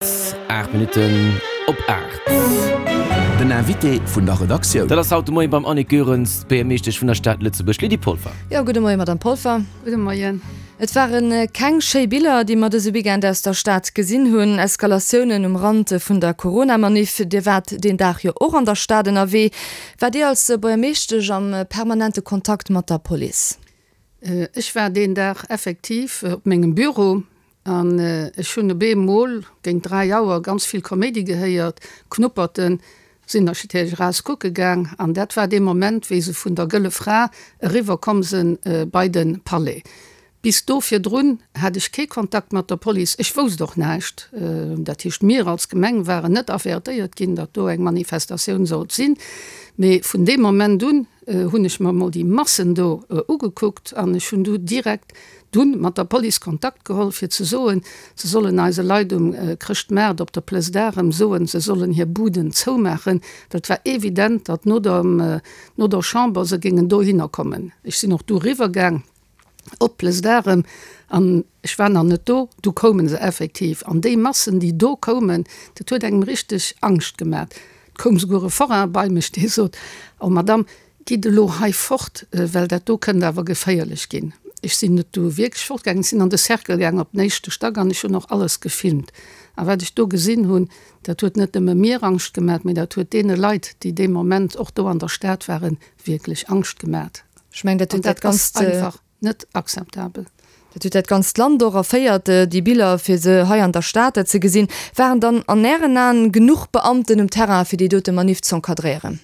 8 Minutten op 8. Den Invité vun der Redaktioun. Dat ass haut de Moien beim Annick Goerens, d'Buergermeeschtesch vun der Stad Lëtzebuerg, Lydie Polfer. Jo, gudde Moien, Madame Polfer. Gudde Moien. Et ware keng schéi Biller, déi mer dëse Weekend aus der Stad gesinn hunn. Eskalatiounen um Rand vun der Corona-Maniff. Dir waart deen Dag jo och an der Stad ënnerwee. Waart Dir als Buergermeeschtesch am permanente Kontakt mat der Police? Ech war deen Dag effektiv op mengem Büro An ech hunn op eemol géint 3 Auer ganz vill Kaméidi gehéiert, Knupperten, sinn natierlech eraus kucke gaang an dat war dee Moment, wéi se vun der Gëlle Fra eriwwer komm se bei de Palais. Bis do virdrun hat ech kee Kontakt mat der Police, ech wousst och näischt. Dat heescht, mir als Gemeng waren net avertéiert ginn, datt do eng Manifestatioun sollt sinn. Mee vun deem Moment un hunn ech mer emol déi Massen do ugekuckt an ech hunn du direkt dunn mat der Police Kontakt geholl fir ze soen, se sollen eise Leit um Chrëschtmaart op der Place d'Arem soen, se sollen hir Buden zoumaachen, well et war evident, datt no der no der Chamber se géingen dohinner kommen. Ech sinn och du eriwwer gaang op d'Place d'Arem an ech war nach net do, du koume se effektiv an déi Massen déi do koumen, dat huet engem richteg Angscht gemat. Et koum souguer e Forain bei mech, dee sot, Oh Madame, gitt elo hei fort, well dat do kënnt awer geféierlech ginn. Ech sinn net du wierklech fortgaangen, ech sinn an de Cercle gaang op den éischte Stack an ech hunn och alles gefilmt. A wat ech do gesinn hunn, dat huet net nëmme mir Angscht gemat, mee dat huet deene Leit, déi dee Moment och do an der Stad waren, wierklech Angscht gemat. Ech mengen, dat huet dat Ganzt. Einfach net akzeptabel. Dat huet dat ganzt Land och erféiert, déi Biller, fir se hei an der Stad ze gesinn. Waren dann an Ären Aen genuch Beamten um Terrain, fir déi dote Maniff z'encadréieren?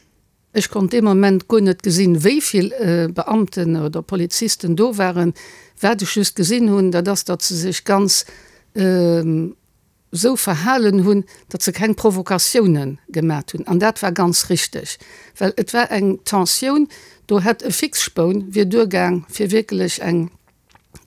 Ech konnt dee Moment guer net gesinn, wéi vill Beamten oder Polizisten do waren. Wat ech just gesinn hunn, dat ass, datt se sech ganz esou verhalen hunn, datt se keng Provokatioune gemat hunn. An dat war ganz richteg, well et war eng Tensioun, do hätt e Fixspoun wier duergaang, fir wierklech eng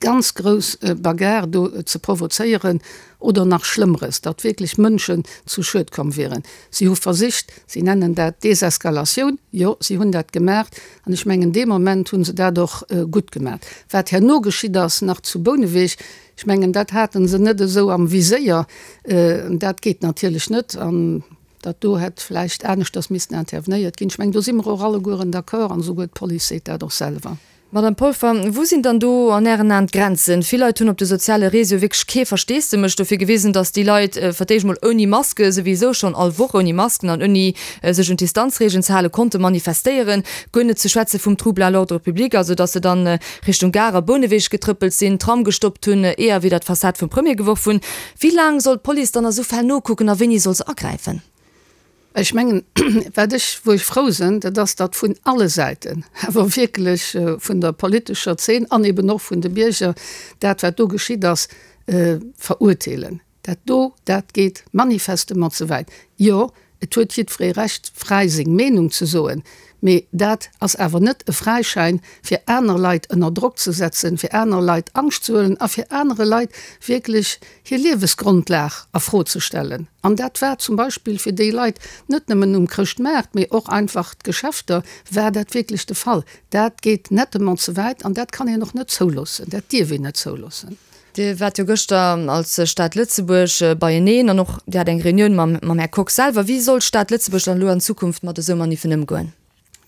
ganz grouss Bagarre do ze provozéieren oder nach Schlëmmeres, datt wierklech Mënschen zu Schued komm wieren. Si hu versicht, si nennen dat Deseskalatioun, jo, si hunn dat gemaach an ech mengen dee Moment hu se dat och gutt gemaach. Wat herno geschitt ass nach zu Bouneweg, ech mengen dat hate se net esou am Viséier, dat geet natierlech net an datt do hätt vläicht aneschters missten intervenéiert ginn. Ech mengen do si mer och allegueren d'accord an esouguer d'Police seet dat och selwer. Madame Polfer, wou sinn dann do an Ären Aen d'Grenzen? Vill Leit hunn op de soziale Réseaue wierklech kee Versteesdemech dofir gewisen, datt déi Leit fir d'éischt mol ouni Maske, souwisou schonn all Woch ouni Masken an ouni sech un d'Distanzregeln ze halen, konnte manifestéieren. Guer net ze schwätze vum Trouble à l'ordre public, also datt se dann Richtung Gare a Bouneweg getrëppelt sinn, Tram gestoppt hunn, Eeër widder d'Fassad vum Premier geworf hunn. Wéi laang soll d'Police dann a sou Fäll nokucken a wéini soll se agräifen? Ech mengen, wat ech, wou ech frou sinn, dat ass, datt vun alle Säiten, awer wierklech vun der politescher Zeen an eben och vun de Bierger, dat wat do geschitt ass, verurteelen. Dat do, dat geet manifestement ze wäit. Jo, et huet jiddweree Recht, fräi seng Meenung ze soen, mee dat ass awer net e Fräischäin, fir aner Leit ënner Drock ze setzen, fir aner Leit Angscht ze huelen a fir anere Leit wierklech hir Liewesgrondlag a Fro ze stellen. An dat war zum Beispill fir déi Leit net nëmmen um Chrëschtmaart, mee och einfach d'Geschäfter, war dat wierklech de Fall. Dat geet nettement ze wäit an dat kann een och net zouloossen, dat dierf een net zouloossen. Dir waart jo gëschter als Stad Lëtzebuerg beieneen an och Dir hat eng Reunioun mam Här Kox selwer. Wéi soll d'Stad Lëtzebuerg dann elo an Zukunft mat esou Maniffen ëmgoen?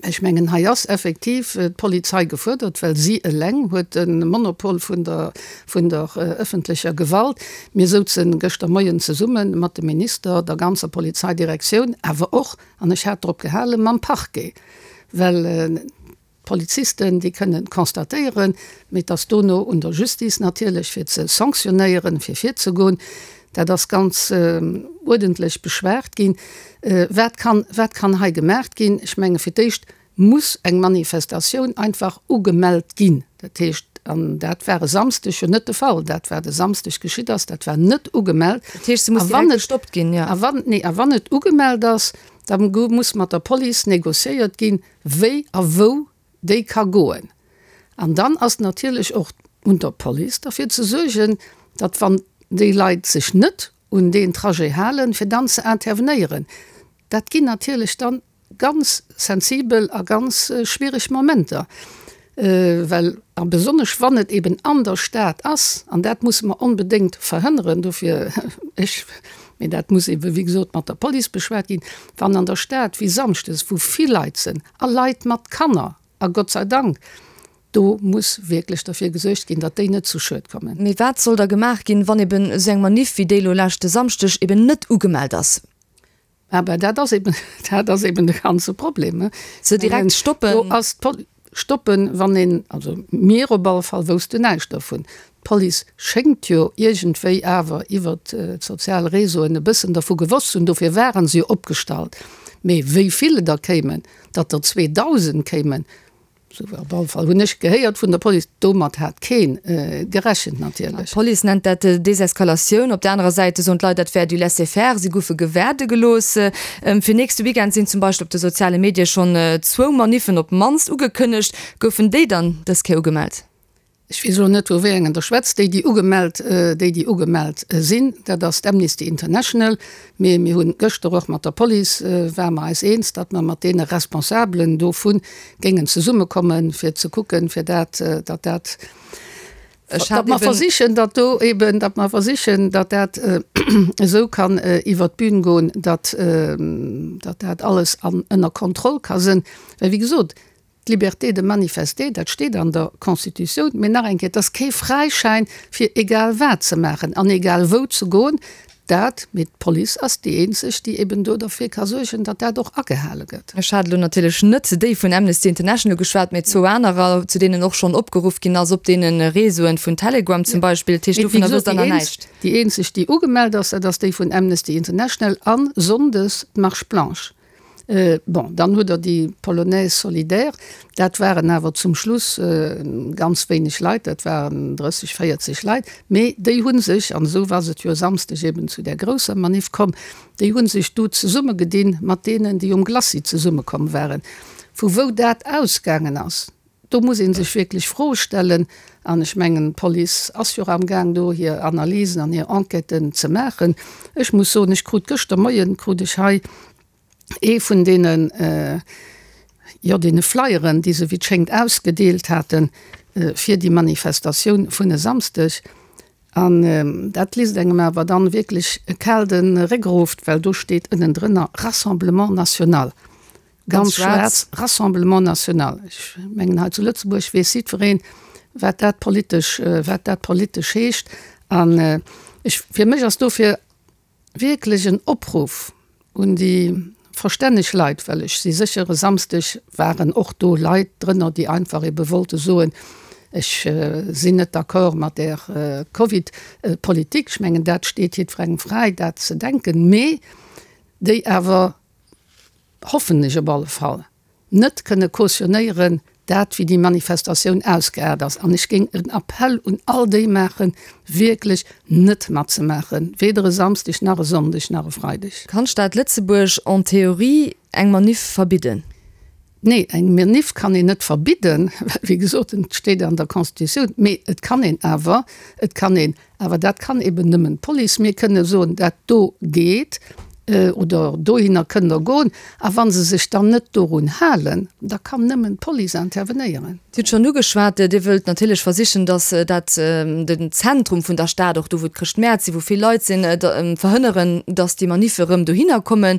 Ech mengen, hei ass effektiv d'Polizei gefuerdert, well si eleng huet de Monopol vun der, vun der öffentlecher Gewalt. Mir souze gëschter Moien zesumme mat dem Minister, der ganzer Polizeidirektioun, awer och, an ech hat drop gehalen, mam Parquet, well d'Polizisten, déi kënnen constatéieren, mee et ass dono un der Justice natierlech, fir ze sanctionéieren, fir virzegoen. Dat ass ganz uerdentlech beschwat ginn. Wat kann, wat kann hei gemaach ginn? Ech menge fir d'éischt muss eng Manifestatioun einfach ugemellt ginn. Dat heescht, an dat war e Samsdeg jo net de Fall, dat wat e Samsdeg geschitt ass, dat war net ugemellt. Dat heescht, se muss direkt gestoppt ginn, jo. A wann, nee, a wann et ugemellt ass, da muss mat der Police négociéiert ginn, wéi a wou déi ka goen. An dann ass natierlech och un der Police derfir ze suergen, datt wann déi Leit sech net un deen Trajet halen, fir dann ze intervenéieren. Dat ginn natierlech dann ganz sensibel a ganz schwiereg Momenter, well, a besonnesch wann et eben an der Stad ass, an dat musse mer onbedéngt verhënneren, dofir, ech. Mee dat muss ebe wéi gesot mat der Police beschwat ginn, wann an der Stad wéi samschdes, wou vill Leit sënn a Leit mat Kanner, a Gott sei Dank, do muss wierklech derfir gesuergt ginn, datt déi net zu Schued kommen. Mee wat soll da gemaach ginn, wann eben esou eng Maniff wéi déi elo leschte Samschdeg eben net ugemellt ass? Aber dat ass eben, dat ass eben de ganze Problem. Se direkt stoppen? Do ass d'Pol-, stoppen, wann een, also mir op alle Fall woussten näischt dervun. D'Police schéngt jo iergendwéi awer iwwert d'sozial Réseauen e bëssen dervu gewosst ze hunn, dofir ware se jo opgestallt. Mee wéi vill et der kéimen, datt der 2.000 kéimen, Sou op alle Fall hunn ech gehéiert vun der Police. Domat hat keen gerechent natierlech. D'Police nennt dat Deseskalatioun. Op der anerer Säit soen d'Leit, dat wär du laisser-faire, si goufe gewaarde gelooss. Fir nächste Weekend sinn zum Beispill op de soziale Medie schonn zwou Maniffen op d'mannst ugekënnegt. Goufen déi dann dës Kéier ugemellt? Ech weess elo net, vu wéi engen Der schwätzt. Déi, déi ugemellt, déi, déi ugemellt sinn, dat ass d'Amnesty International. Mee mir hunn gëschter och mat der Police, ware mer eis eens, datt mer mat deene Responsabelen dovu géingen zesummekommen, fir ze kucken, fir dat, datt dat, datt mer versichen, datt do eben, datt mer versichen, datt dat esou kann iwwert d'Bün goen, datt, datt dat alles an ënner Kontroll ka sënn. Well, wéi gesot, D'Liberté de manifester, dat steet an der Constitutioun, mee nach eng Kéier, et ass kee Fräischäin, fir egal wat ze maachen an egal wou ze goen. Dat, mee d'Police ass déi eenzeg, déi eben do derfir ka suergen, datt dat och agehale gëtt. Ech hat elo natierlech net déi vun Amnesty International ugeschwat, mee zwou anerer, zu deenen och schonn opgeruff ginn ass, op deene Réseauen vun Telegram zum Beispill. Dat heescht, dovunner wësst Der nach näischt? Déi eenzeg, déi ugemellt ass, dat ass déi vun Amnesty International a sonndes d'Marche blanche. Bon, dann hutt Der déi Polonaise solidaire, dat waren awer zum Schluss ganz wéineg Leit, dat waren 30, 40 Leit, mee déi hu sech, an esou ass et jo e Samsdeg eben zu där grousser Maniff komm, déi hu sech du zesummegedinn mat deenen, déi um Glacis zesummekomm waren. Vu wou dat ausgaangen ass, do muss ee sech wierklech Froe stellen. An ech mengen, d'Police ass jo och amgaang do hir Analysen an hir Enquêten ze maachen. Ech muss soen, ech krut gëschter Moien, krut ech hei ee vun deenen, jo, deene Flyeren, déi se wéi et schéngt ausgedeelt haten, fir déi Manifestatioun vun e Samsdeg. An dat liest engem awer dann wierklech e kal de Réck erof, well do steet ënnendrënner Rassemblement national. Ganz schwaarz, Rassemblement national. Ech mengen, hei zu Lëtzebuerg weess jiddwereen, wat dat politesch, wat dat politesch heescht. An ech, fir mech ass dofir wierklech en Opruff un déi verstänneg Leit, well ech si sécher, e Samsdeg waren och do Leit drënner, déi einfach ebe wollte soen, ech sinn net d'accord mat där Covid-Politik. Ech mengen, dat steet jiddwerengem fräi, dat ze denken, mee déi awer hoffen ech op alle Fall, net kënne cautionnéieren, dat wéi déi Manifestatioun ausgeaart ass. An ech géing en Appell un all déi maachen, wierklech net matzemaachen, weder e Samsdeg nach e Sonndeg nach e Freideg. Kann d'Stad Lëtzebuerg en théorie eng Maniff verbidden? Nee, eng Maniff kann een net verbidden, well wéi gesot, et steet an der Constitutioun. Mee et kann een awer, et kann een Awer dat kann eben nëmmen d'Police. Mir kënne soen, dat do geet oder dohinner kënnt Der goen. A wa se sech dann net dorun halen, da kann nëmmen d'Police intervenéieren. Dir hutt schonn ugeschwat, Dir wëllt natierlech versichen, datt dat den Zentrum vun der Stad, och do wou d'Chrëschtmäert sinn, wou vill Leit sinn, verhënneren, datt déi Maniffe erëm dohinner kommen.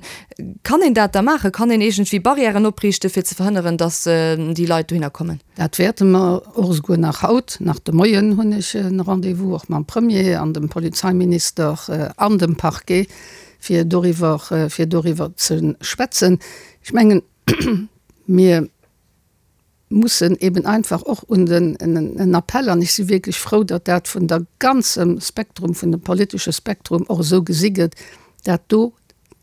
Kann een dat da maachen? Kann een iergendwéi Barrièren opriichten, fir ze verhënneren, datt déi Leit dohinner kommen? Dat wäerte mer och esouguer nach haut. Nach de Moien hunn ech e Rendez-vous och mam Premier an dem Polizeiminister an dem Parquet, fir doriwwer, fir doriwwer ze schwätzen. Ech mengen, mir mussen eben einfach och un den, en Appell, an ech si wierklech frou, datt dat vun der ganzem Spektrum, vun dem politesche Spektrum och esou gesi gëtt, dat do,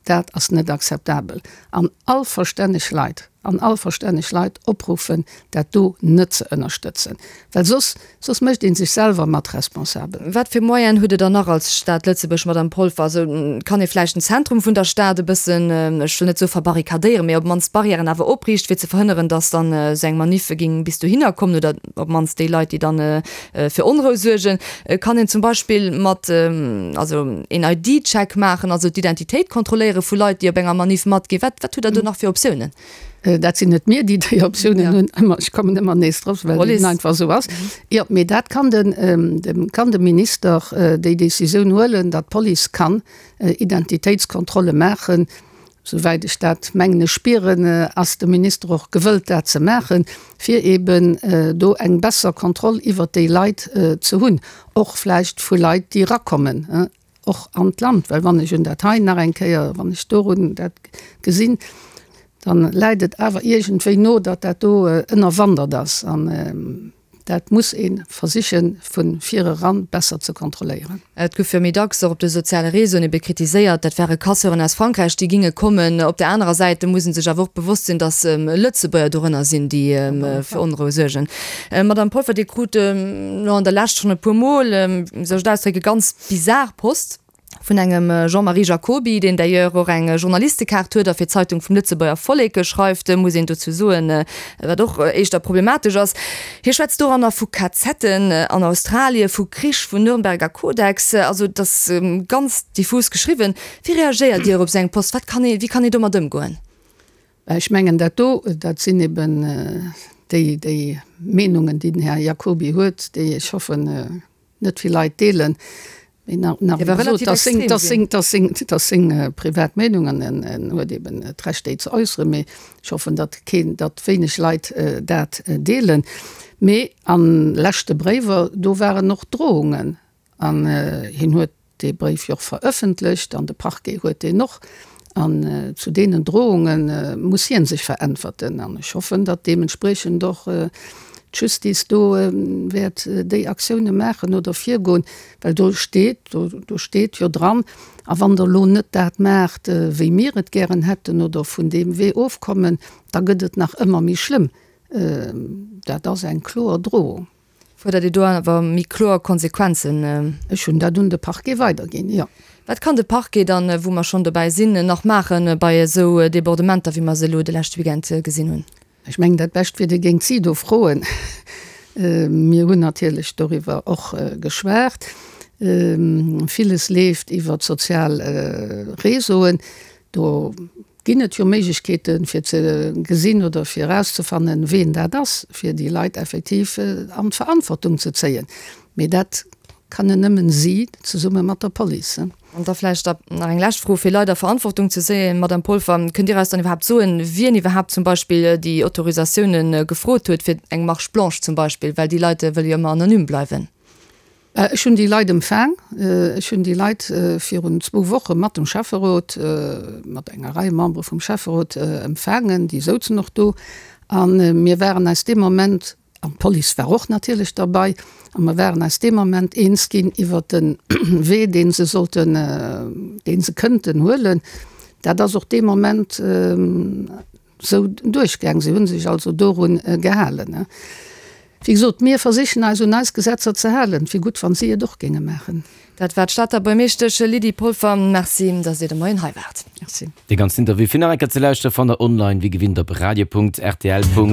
Dat ass net akzeptabel. An all verstänneg Leit, an all verstänneg Leit opruffen, dat do net ze ënnerstëtzen, well soss, soss mécht ee sech selwer mat responsabel. Wat fir Moyenen hutt Der dann nach als Stad Lëtzebuerg, Madame Polfer? Also kann ee vläicht den Zentrum vun der Stad e bëssen, ech wëll net soe verbarrikadéieren, mee op d'mannst Barrièren awer opriichten, fir ze verhënneren, datt dann esou eng Manif géing bis dohinner kommen oder op d'mannst déi Leit, déi dann fir Onrou suergen, kann een zum Beispill mat also een ID-Check maachen, also d'Identitéit kontrolléiere vu Leit, déi op enger Maniff matginn. Wat wat hutt Der do nach fir Optiounen? Dat sinn net mir, déi déi Optiounen hunn, ëmmer, ech kommen ëmmer nees drop, well et einfach esou ass. Jo, mee dat kann den, kann de Minister déi Décisioun huelen, datt d'Police kann Identitéitskontrolle maachen. Souwäit ech dat, mengen ech, spieren, ass de Minister och gewëllt, dat ze maachen, fir eeben do eng besser Kontroll iwwert déi Leit ze hunn, och vläicht vu Leit, déi erakommen. Och an d'Land, well wann ech un dat hei nach eng Kéier, wann ech dorun dat gesinn, dann läit et awer iergendwéi no, datt dat do ënnerwandert ass. An dat muss ee versiche vu vireran besser ze kontrolléieren. Et gouf jo méi dacks och op de soziale Réseauen ebe kritiséiert, dat ware Casseuren aus Frankräich, déi ginge kommen. Op där anerer Säit muss ee sech awer och bewosst sinn, datt Lëtzebuerger dorënner sinn, déi fir Onrou suergen. Madamm Polfer, Dir krut elo an der Lescht schonn e puermol, wéi soll ech et ausdrécken, ganz bizar Post vun engem Jean-Marie Jacoby, deen d'ailleurs och eng Journalistekaart huet a fir d'Zeitung vum Lëtzebuerger Vollek schreift, muss een dozou soen, wat och éischter problematesch ass. Hie schwätzt doranner vu KZen an Australie, vu Krich, vun Nürnberger Kodex, also et ass ganz diffus geschriwwen. Wéi reagéiert Dir op esou eng Post? Wat kann ee, wéi kann ee domat ëmgoen? Ech mengen, dat do, dat sinn eben déi, déi Meenungen, déi den Här Jacoby huet, déi ech hoffen, net vill Leit deelen. Mee nach, nach emol gesot, dat ass seng, dat ass seng, dat ass seng, dat ass seng privat Meenung an en, en huet eben d'Recht, déi ze äusseren. Mee ech hoffen, datt keen, datt wéineg Leit dat deelen. Mee a leschte Bréiwer, do waren och Drohungen an hien huet dee Bréif jo och verëffentlecht an de Parquet huet deen och. An zu deenen Drohunge muss hie sech veräntwerten. An ech hoffen, datt deementspriechend och d'Justice do wäert déi Aktioune maachen oder virgoen, well do steet, do steet jo dran, a wann Der elo net dat maacht, wéi mir et gären hätten oder vun deem Wee ofkommen, da gëtt et nach ëmmer méi schlëmm. Dat ass eng kloer Drohung. Fuerdert Dir do awer méi kloer Konsequenzen? Ech hunn dat un de Parquet weiderginn, jo. Wat kann de Parquet dann, wou mer schonn dobäi sinn, nach maache bei esou Debordementer, wéi mer se elo de leschte Weekend gesinn hunn? Ech mengen, dat Bescht wier, Dir géingt si do froen. Mir hunn natierlech doriwwer och geschwat. Villes leeft iwwer d'sozial Réseauen. Do ginn et jo Méiglechkeeten, fir ze gesinn oder fir erauszefannen, ween dat ass, fir déi Leit effektiv an d'Verantwortung ze zéien. Mee dat kënnen nëmmen si zesumme mat der Police. An da vläicht nach eng lescht Fro, fir Leit a Verantwortung ze zéien, Madamm Polfer, Kënnt Dir eis dann iwwerhaapt soen, wien iwwerhaapt zum Beispill déi Autorisatiounen gefrot huet fir eng Marche blanche zum Beispill, well déi Leit wëlle jo ëmmer anonym bleiwen? Ech hunn déi Leit empfaang. Ech hunn déi Leit virun zwou Woche mat dem Schäfferot, mat enger Rei Membere vum Schäfferot empfaangen. Déi souzen och do. A mir waren eis dee Moment, an d'Police war och natierlech derbei, a mer waren eis dee Moment eens ginn iwwert de Wee, dee se sollten, dee se kënnten huelen. Dat ass och dee Moment Sou duerchgaang. Si hu sech also dorun gehalen. Wéi gesot, mir versichen eis un eis Gesetzer ze halen. Et wier gutt, wann si et och géinge maachen. Dat war d'Stater Buermeeschtesch Lydie Polfer. Merci, datt Dir de Moien hei waart. Merci. Dee ganzen Interview fir nach eng Kéier ze lauschteren fannt der online wéi gewinnt op radio.rtl.lu.